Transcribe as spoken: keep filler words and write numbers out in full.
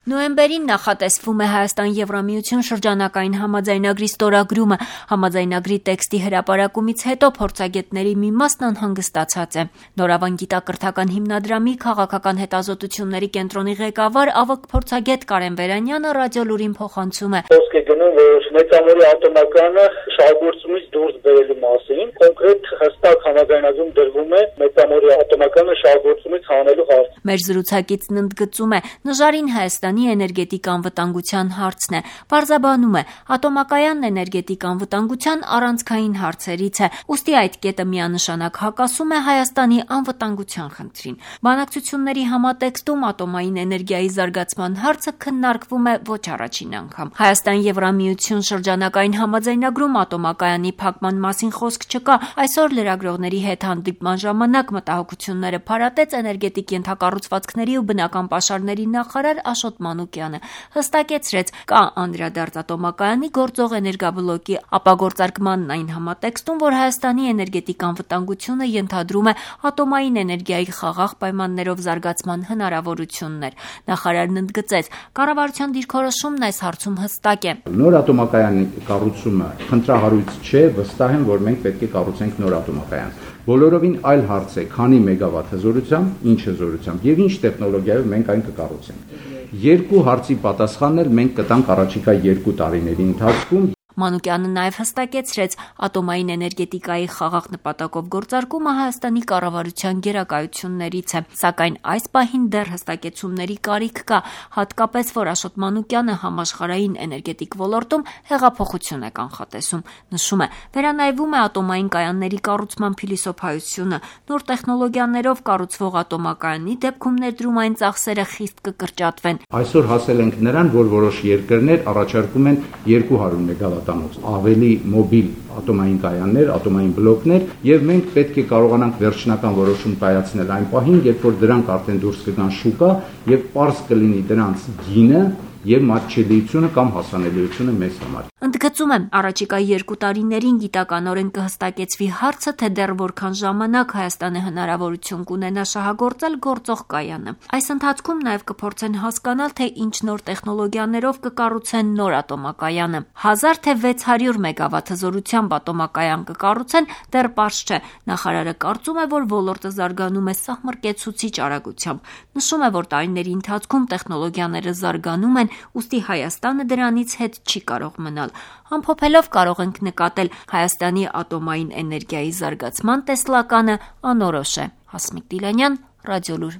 Նոյեմբերին նախատեսվում է Հայաստան-Եվրամիություն շրջանակային համաձայնագրի ստորագրումը։ Համաձայնագրի տեքստի հրապարակումից հետո փորձագետների մի մասն անհանգստացած է։ Նորավան գիտակրթական հիմնադրամի քաղաքական հետազոտությունների կենտրոնի ղեկավար ավագ փորձագետ Կարեն Վերանյանը ռադիոլուրին փոխանցում է. Խոսք է գնում, որ մեծամորի ատոմակայանը շահգործումից դուրս բերելու մասին, կոնկրետ հստակ համաձայնագրում դրվում է մեծամորի ատոմակայանը շահգործումից հանելու հարց։ Մեր զրուցակիցն ընդգծում է, նժարին Հայաստանի էներգետիկ անվտանգության հարցն է։ Պարզաբանում է, ատոմակայանն էներգետիկ անվտանգության առանցքային հարցերից է, ուստի այդ կետը միանշանակ հակասում է Հայաստանի անվտանգության խնդրին։ Բանակցությունների համատեքստում ատոմային էներգիայի զարգացման հարցը քննարկվում է ոչ առաջին անգամ։ Հայաստան-Եվրամիություն շրջանակային համաձայնագրում ատոմակայանի փակման մասին խոսք չկա։ Այսօր լրագրողների հետ հանդիպման ժամանակ մտահոգությունները փարատեց էներգետիկ ենթակառուցվածքների ու բնական պաշարների նախարար Աշոտ Մանուկյանը, հստակեցրեց, կա անդրադարձ ատոմակայանի գործող էներգաբլոկի ապագործարկմանն այն համատեքստում, որ Հայաստանի էներգետիկ անվտանգությունը ենթադրում է ատոմային էներգիայի խաղաղ պայմաններով զարգացման հնարավորություններ։ Նախարարն ընդգծեց, կառավարության դիրքորոշումն այս հարցում հստակ է։ Նոր ատոմակայանի կառուցումը խնդրահարույց չէ, վստահ եմ, որ մենք պետք է կառուցենք նոր ատոմակայան։ Բոլորովին այլ հարց է, քանի մեգավատ հզորությամբ, ինչ հզորությամբ եւ ինչ տեխնոլոգիայով մենք այն կկառուցենք։ Երկու հարցի պատասխանն էլ մենք կտանք առաջիկա երկու տարիների ընթացքում։ Մանուկյանը նաև հստակեցրեց, ատոմային էներգետիկայի խաղաղ նպատակով գործարկումը Հայաստանի կառավարության գերակայություններից է, սակայն այս պահին դեռ հստակեցումների կարիք կա, հատկապես որ Աշոտ Մանուկյանը համաշխարհային էներգետիկ ոլորտում հեղափոխություն է կանխատեսում։ Նշում է, վերանայվում է ատոմային կայանների կառուցման փիլիսոփայությունը, նոր տեխնոլոգիաներով կառուցվող ատոմակայանի դեպքում ներդրումային ծախսերը խիստ կկրճատվեն։ Այսօր հասել ենք նրան, որ որոշ երկրներ առաջարկում են երկու հարյուր մեգավատ ավելի մոբիլ ատոմային կայաններ, ատոմային բլոկներ, եւ մենք պետք է կարողանանք վերջնական որոշում կայացնել այն պահին, երբ որ դրանք արդեն դուրս կգան շուկա եւ պարզ կլինի դրանց գինը եւ մատչելիությունը կամ հասանելիությունը մեզ համար։ Ընդգծում եմ, առաջիկա երկու տարիներին գիտականորեն կհստակեցվի հարցը, թե դեռ որքան ժամանակ Հայաստանը հնարավորություն կունենա շահագործել գործող կայանը։ Այս ընթացքում նաև կփորձեն հասկանալ, թե ինչ նոր տեխնոլոգիաներով կկառուցեն նոր ատոմակայանը։ Հազար թե վեց հարյուր մեգավատ հզորությամբ ատոմակայան կկառուցեն, դեռ պարզ չէ։ Նախարարը կարծում է, որ ոլորտը զարգանում է սահմռկեցուցիչ արագությամբ։ Նշում է, որ տարիների ընթացքում տեխնոլոգիաները զարգանում են, ուստի Հայաստանը դրանից հետ չի կարող մնալ։ Ամփոփելով կարող ենք նկատել, Հայաստանի ատոմային էներգիայի զարգացման տեսլականը անորոշ է։ Հասմիկ Դիլանյան, Ռադիոլուր։